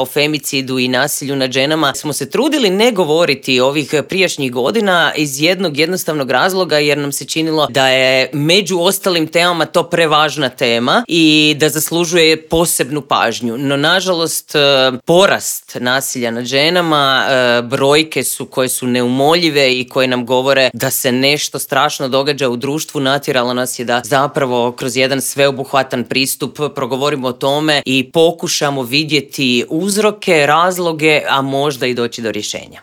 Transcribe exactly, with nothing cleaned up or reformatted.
o femicidu i nasilju nad ženama smo se trudili ne govoriti ovih prijašnjih godina iz jednog jednostavnog razloga jer nam se činilo da je među ostalim temama to prevažna tema i da zaslužuje posebnu pažnju. No nažalost porast nasilja nad ženama, brojke su koje su neumoljive i koje nam govore da se nešto strašno događa u društvu. Natjeralo nas je da zapravo kroz jedan sveobuhvatan pristup progovorimo o tome i pokušamo vidjeti uzroke, razloge, a možda i doći do rješenja.